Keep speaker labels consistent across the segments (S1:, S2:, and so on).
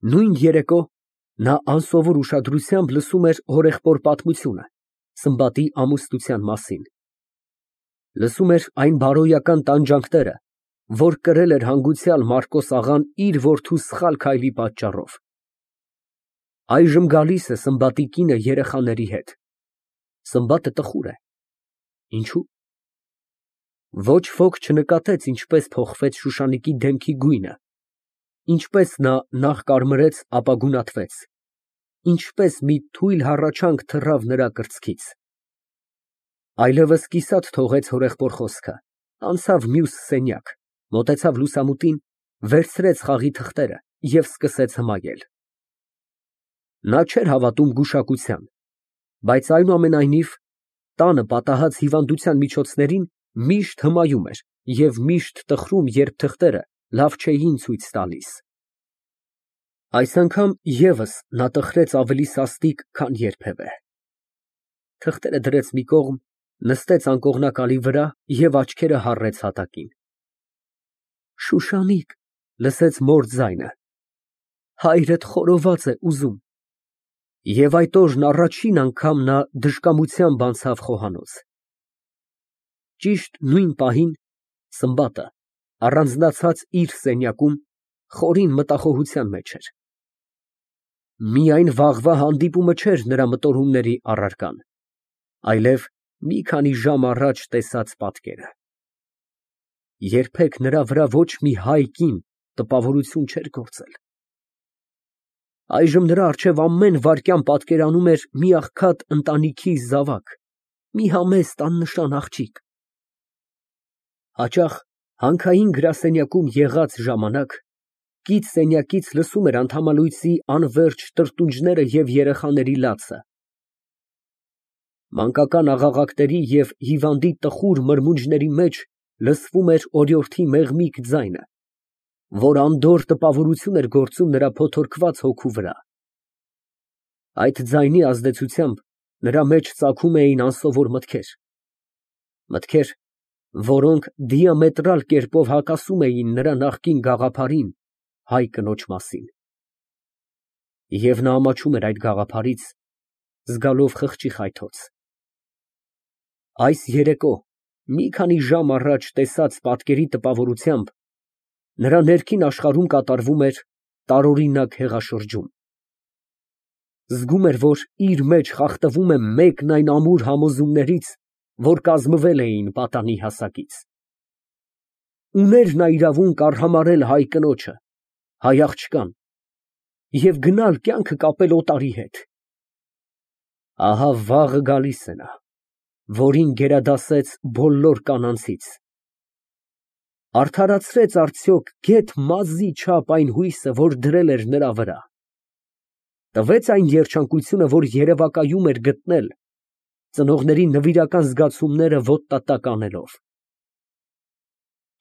S1: Նույն երեկո նա անսովոր ուշադրությամբ լսում էր հորեղբոր պատմությունը Սմբատի ամուսնության մասին, լսում էր այն բարոյական տանջանքները, որ կրել էր հանգուցյալ Մարկոս աղան իր որդու սխալ քայլի պատճառով։ Այժմ գալիս է Սմբատի կինը երեխաների հետ։ Սմբատը տխուր է։ Ինչո՞ւ։ Ոչ ոք չնկատեց ինչպես փոխվեց Շուշանիկի դեմքի գույնը, ինչպես նա նախ կարմրեց, ապա գունատվեց, ինչպես մի թույլ հառաչանք թռավ նրա կրծքից։ Այլևս կիսատ թողեց հորեղբոր խոսքը, անցավ մյուս սենյակ, մոտեցավ լուսամուտին, վերցրեց խաղի թղթերը և սկսեց հմայել։ Նա չէր հավատում գուշակության, բայց այնուամենայնիվ տանը պատահած հիվանդության միջոցներին միշտ հմայում էր և միշտ տխրում, երբ թղթերը լավ չէին ցույց տալիս։ Այս անգամ ևս նա տխրեց ավելի սաստիկ, քան երբևէ։ Թղթերը դրեց մի կողմ, նստեց անկողնակալի վրա և աչքերը հառեց հատակին։ Շուշանիկ, լսեց մոր ձայնը, հայրդ խորոված է ուզում։ Եվ այդ օրն առաջին անգամ նա դժկամությամբ անցավ խոհանոց։ Ճիշտ նույն պահին Սմբատը առանձնացած իր սենյակում խորին մտախոհության մեջ էր։ Միայն վաղվա հանդիպումը չէր նրա մտորումների առարկան, այլև մի քանի ժամ առաջ տեսած պատկերը։ Երբեք նրա վրա ոչ մի հայ կին տպավորություն չէր գործել։ Այժմ նրա առջև ամեն վայրկյան պատկերանում էր մի աղքատ ընտանիքի զավակ, մի համեստ աննշան աղջիկ։ Հաճախ հանքային գրասենյակում եղած ժամանակ կից սենյակից լսում էր անդամալույսի անվերջ տրտունջները և երեխաների լացը։ Մանկական աղաղակների և հիվանդի տխուր մրմունջների մեջ լսվում էր օրիորդի մեղմիկ ձայնը, որ անդորր տպավորություն էր գործում նրա փոթորկված հոգու վրա։ Այդ ձայնի ազդեցությամբ նրա մեջ ծագում էին անսովոր մտքեր, մտքեր, որոնք դիամետրալ կերպով հակասում էին նրա նախկին գաղափարին հայ կնոջ մասին։ Եվ նա ամաչում էր այդ գաղափարից, զգալով խղճի խայթոց։ Այս երեկո մի քանի ժամ առաջ տեսած պատկերի տպավորությամբ նրա ներքին աշխարհում կատարվում էր տարօրինակ հեղաշրջում։ Զգում էր, որ իր մեջ խախտվում է մեկն այն ամուր համոզումներից, որ կազմվել էին պատանի հասակից։ Ուներ նա իրավունք արհամարհել հայ կնոջը, հայ աղջկան և գնալ կյանքը կապել օտարի հետ։ Ահա վաղը գալիս է նա, որին գերադասեց բոլոր կանանցից։ Արդարացրեց արդյոք գեթ մազի չափ այն հույսը, որ դրել էր նրա վրա։ Տվեց այն երջանկությունը, որ երևակայում էր գտնել, ծնողների նվիրական զգացումները ոտնատակ անելով։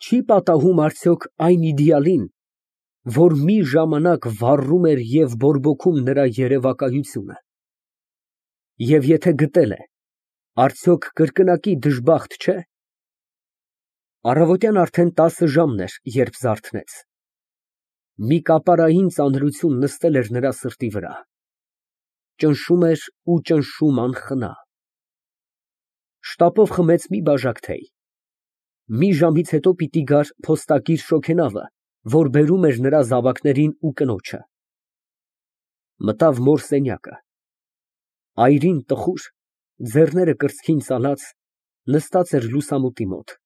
S1: Չի պատահում արդյոք այն իդեալին, որ մի ժամանակ վառում էր և բորբոքում նրա երևակայությունը։ Եվ եթե գտել է, արդյոք կրկնակի դժբախտ չէ։ Առավոտյան արդեն 10 ժամն էր, երբ զարթնեց։ Մի կապարային ծանրություն նստել էր նրա սրտի վրա։ Ճնշում էր ու ճնշում անխնա։ Շտապով խմեց մի բաժակ թեյ։ Մի ժամից հետո պիտի գար փոստակիր շոգենավը, որ բերում էր նրա զավակներին ու կնոջը։ Մտավ մոր սենյակը։ Այրին տխուր, ձեռները կրծքին ծալած, նստած էր լուսամուտի մոտ։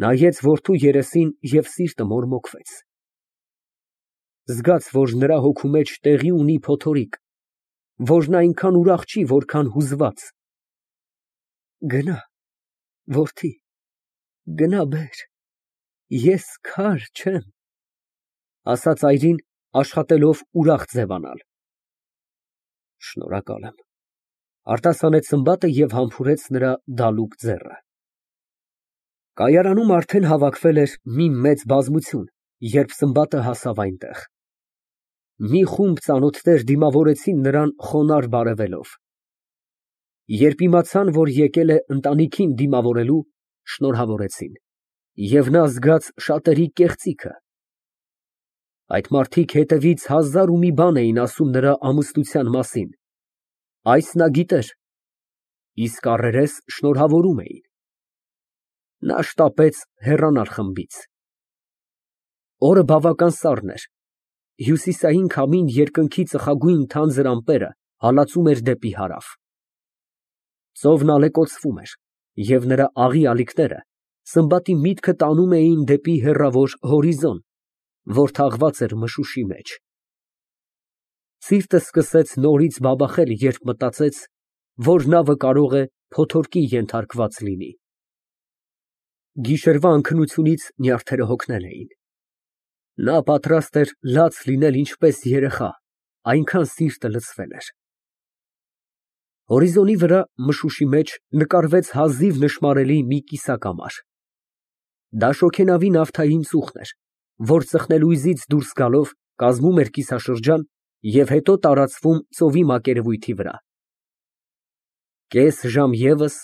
S1: Նայեց որդու երեսին և սիրտը մորմոքվեց։ Զգաց, որ նրա հոգու մեջ տեղի ունի փոթորիկ, որ նա այնքան ուրախ չի, որքան հուզված։ Գնա, որդի, գնա բեր, ես քար չեմ, ասաց այրին, աշխատելով ուրախ ձևանալ։ Շնորհակալ եմ, արտասանեց Սմբատը և համբուրեց նրա դալուկ ձեռքը։ Կայարանում արդեն հավաքվել էր մի մեծ բազմություն, երբ Սմբատը հասավ այնտեղ։ Մի խումբ ծանոթներ դիմավորեցին նրան խոնարհ բարևելով։ Երբ իմացան, որ եկել է ընտանիքին դիմավորելու, շնորհավորեցին, և նա զգաց շատերի կեղծիքը։ Այդ մարդիկ հետևից հազար ու մի բան էին ասում նրա ամուսնության մասին, այս նա գիտեր, իսկ առերես շնորհավորում էին։ Նա շտապեց հեռանալ խմբից։ Օրը բավական սառն էր, հյուսիսային քամին երկնքի ծխագույն թանձր ամպերը հալածում էր դեպի հարավ։ Ծովն ալեկոծվում էր, և նրա աղի ալիքները Սմբատի միտքը տանում էին դեպի հեռավոր հորիզոն, որ թաղված էր մշուշի մեջ։ Սիրտը սկսեց նորից բաբախել, երբ մտածեց, որ նավը կարող է փոթորկի ենթարկված լինի։ Գիշերվա անքնությունից նյարդերը հոգնել էին։ Նա պատրաստ էր լաց լինել ինչպես երեխա, այնքան սիրտը լցվել էր։ Հորիզոնի վրա մշուշի մեջ նկարվեց հազիվ նշմարելի մի կիսակամար։ Դա շոգենավի նավթային ծուխն էր, որ ծխնելույզից դուրս գալով կազմում էր կիսաշրջան և հետո տարածվում ծովի մակերևույթի վրա։ Կես ժամ ևս,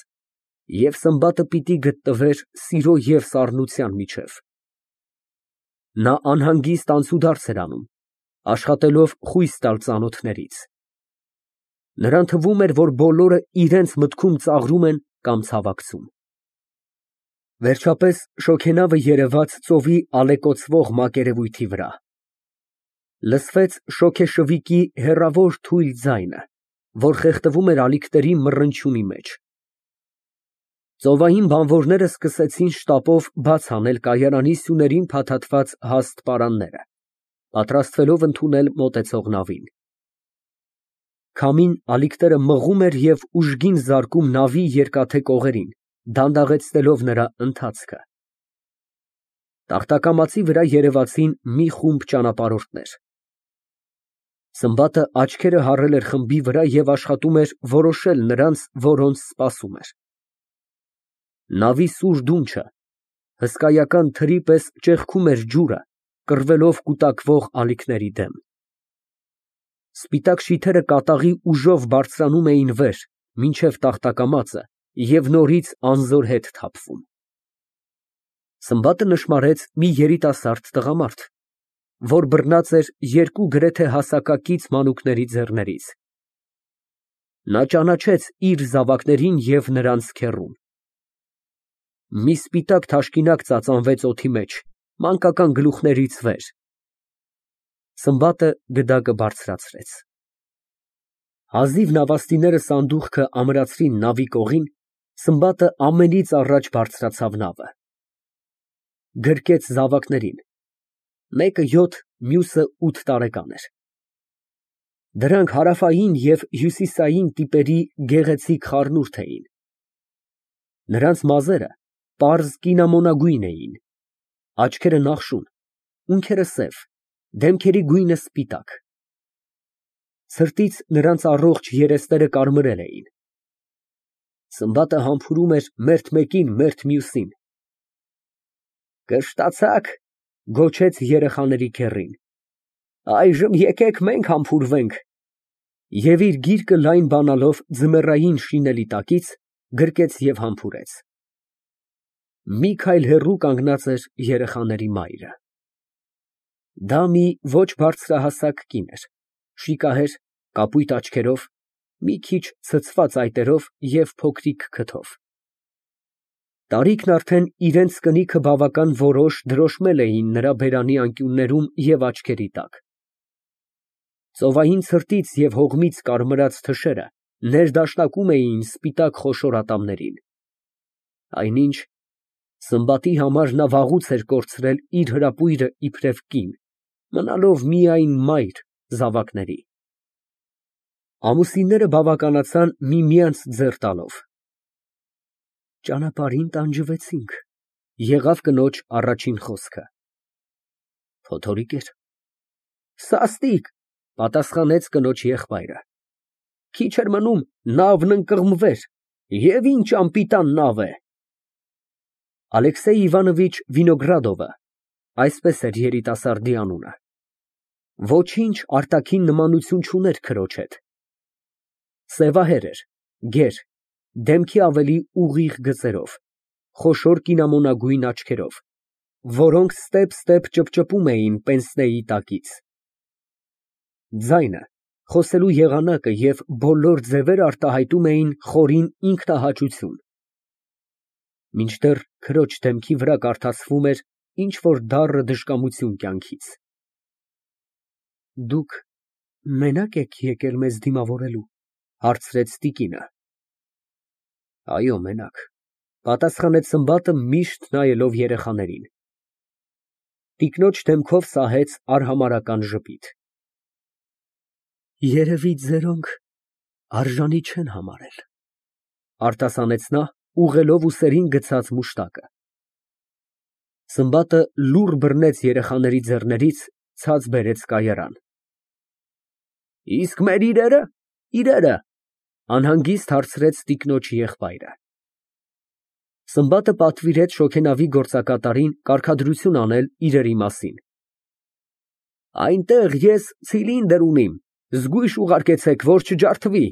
S1: և Սմբատը պիտի գտնվեր սիրո և սառնության միջև։ Նա անհանգիստ անցուդարձ էր անում, աշխատելով խույս տալ ծանոթներից։ Նրան թվում էր, որ բոլորը իրենց մտքում ծաղրում են կամ ցավակցում։ Վերջապես շոգենավը երևաց ծովի ալեկոծվող մակերևույթի վրա։ Լսվեց շոգեշվիկի հեռավոր թույլ ձայնը, որ խեղդվում էր ալիքների մռնչյունի մեջ։ Ծովային բանվորները սկսեցին շտապով բաց անել կայարանի սյուներին փաթաթված հաստ պարանները, պատրաստվելով ընդունել մոտեցող նավին։ Քամին ալիքները մղում էր և ուժգին զարկում նավի երկաթե կողերին, դանդաղեցնելով նրա ընթացքը։ Տախտակամածի վրա երևացին մի խումբ ճանապարհորդներ։ Սմբատը աչքերը հառել էր խմբի վրա և աշխատում էր որոշել նրանց, որոնց սպասում էր։ Նավի սուր դունչը հսկայական թրի պես ճեղքում էր ջուրը, կռվելով կուտակվող ալիքների դեմ։ Սպիտակ շիթերը կատաղի ուժով բարձրանում էին վեր, մինչև տախտակամածը և նորից անզոր հետ թափվում։ Սմբատը նշմարեց մի երիտասարդ տղամարդ, որ բռնած էր երկու գրեթե հասակակից մանուկների ձեռներից։ Նա ճանաչեց իր զավակներին և նրանց քեռուն։ Մի սպիտակ թաշկինակ ծածանվեց օդի մեջ, մանկական գլուխներից վեր։ Սմբատը գդակը բարձրացրեց։ Հազիվ նավաստիները սանդուղքը ամրացրին նավի կողին, Սմբատը ամենից առաջ բարձրացավ նավը։ Գրկեց զավակներին, մեկը 7, մյուսը 8 տարեկան էր։ Դրանք հարավային և հյուսիսային տիպերի գեղեցիկ խառնուրդ էին։ Նրանց մազերը պարզ կինամոնագույն էին, աչքերը նախշուն, ունքերը սև, դեմքերի գույնը սպիտակ։ Սրտից նրանց առողջ երեսները կարմրել էին։ Սմբատը համբուրում էր մերթ մեկին, մերթ մյուսին։ Կշտացա՞ք, գոչեց երեխաների քեռին։ Այժմ եկեք մենք համբուրվենք։ Եվ իր գիրկը լայն բանալով ձմեռային շինելի տակից, գրկեց և համբուրեց։ Մի քայլ հեռու կանգնած էր երեխաների մայրը։ Դա մի ոչ բարձրահասակ կին էր, շիկահեր, կապույտ աչքերով, մի քիչ ցցված այտերով և փոքրիկ քթով։ Տարիքն արդեն իրենց կնիքը բավական որոշ դրոշմել էին նրա բերանի անկյուններում և աչքերի տակ։ Ծովային ցրտից և հողմից կարմրած թշերը ներդաշնակում էին սպիտակ խոշոր ատամներին։ Այնինչ, Սմբատի համար նա վաղուց էր կորցրել իր հրապույրը իբրև կին, մնալով միայն մայր զավակների։ Ամուսինները բավականացան միմյանց ձեռ տալով։ Ճանապարհին տանջվեցինք, եղավ կնոջ առաջին խոսքը։ Փոթորիկ էր։ Սաստիկ, պատասխանեց կնոջ եղբայրը։ Քիչ էր մնում, նավն ընկղմվեր, և ինչ անպիտան նավ է։ Ալեքսեյ Իվանովիչ Վինոգրադովը, այսպես էր երիտասարդի անունը, ոչինչ արտաքին նմանություն չուներ քրոջ հետ։ Սևահեր էր, գեր, դեմքի ավելի ուղիղ գծերով, խոշոր կինամոնագույն աչքերով, որոնք ստեպ ճպճպում էին պենսնեի տակից։ Ձայնը, խոսելու եղանակը և բոլոր ձևերը արտահայտում էին խորին ինքնահաճություն։ Մինչդեռ քրոջ դեմքի վրա կարդացվում էր ինչ֊որ դառը դժկամություն կյանքից։ Դուք մենա՞կ եք եկել մեզ դիմավորելու, հարցրեց տիկինը։ Այո, մենակ, պատասխանեց Սմբատը միշտ նայելով երեխաներին։ Տիկնոջ դեմքով սահեց արհամարհական ժպիտ։ Երևի ձերոնք արժանի չեն համարել, արտասանեց նա, ուղղելով ուսերին գցած մուշտակը։ Սմբատը լուռ բռնեց երեխաների ձեռներից, ցած բերեց կայարան։ Իսկ մեր իրերը, անհանգիստ հարցրեց տիկնոջ եղբայրը։ Սմբատը պատվիրեց շոգենավի գործակատարին կարգադրություն անել իրերի մասին։ Այնտեղ ես ցիլինդր ունիմ, զգույշ ուղարկեցեք, որ չջարդվի,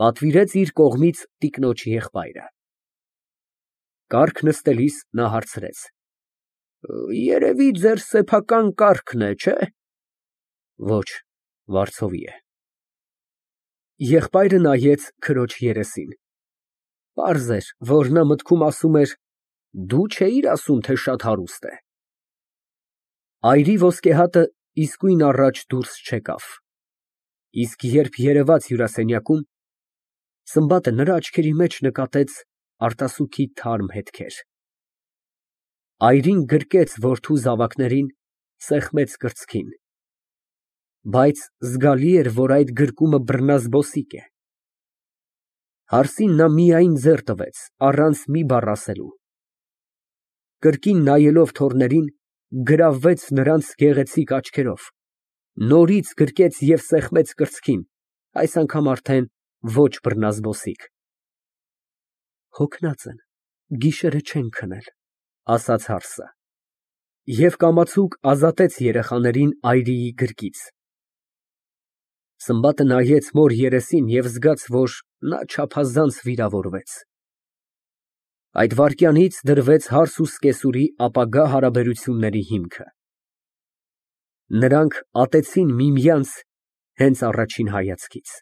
S1: պատվիրեց իր կողմից տիկնոջ եղբայրը։ Կառք նստելիս նա հարցրեց. Երևի ձեր սեփական կառքն է, չէ՞։ Ոչ, վարձովի է։ Եղբայրը նայեց քրոջ երեսին։ Պարզ էր, որ նա մտքում ասում էր. դու չէիր ասում, թե շատ հարուստ է։ Այրի ոսկեհատը իսկույն առաջ դուրս չեկավ։ Իսկ երբ երևաց հյուրասենյակում, Սմբատը նրա աչքերի մեջ նկատեց արտասուքի թարմ հետքեր։ Այրին գրկեց որդու զավակներին, սեղմեց կրծքին։ Բայց զգալի էր, որ այդ գրկումը բռնազբոսիկ է։ Հարսին նա միայն ձեռ տվեց, առանց մի բառ ասելու։ Կրկին նայելով թոռներին, գրավվեց նրանց գեղեցիկ աչքերով, նորից գրկեց և սեղմեց կրծքին, այս անգամ արդեն ոչ բռնազբոսիկ։ Հոգնած են, գիշերը չեն քնել, ասաց հարսը։ Եվ կամացուկ ազատեց երեխաներին այրիի գրկից։ Սմբատը նայեց մոր երեսին և զգաց, որ նա չափազանց վիրավորվեց։ Այդ վայրկյանից դրվեց հարս ու սկեսուրի ապագա հարաբերությունների հիմքը։ Նրանք ատեցին միմյանց հենց առաջին հայացքից։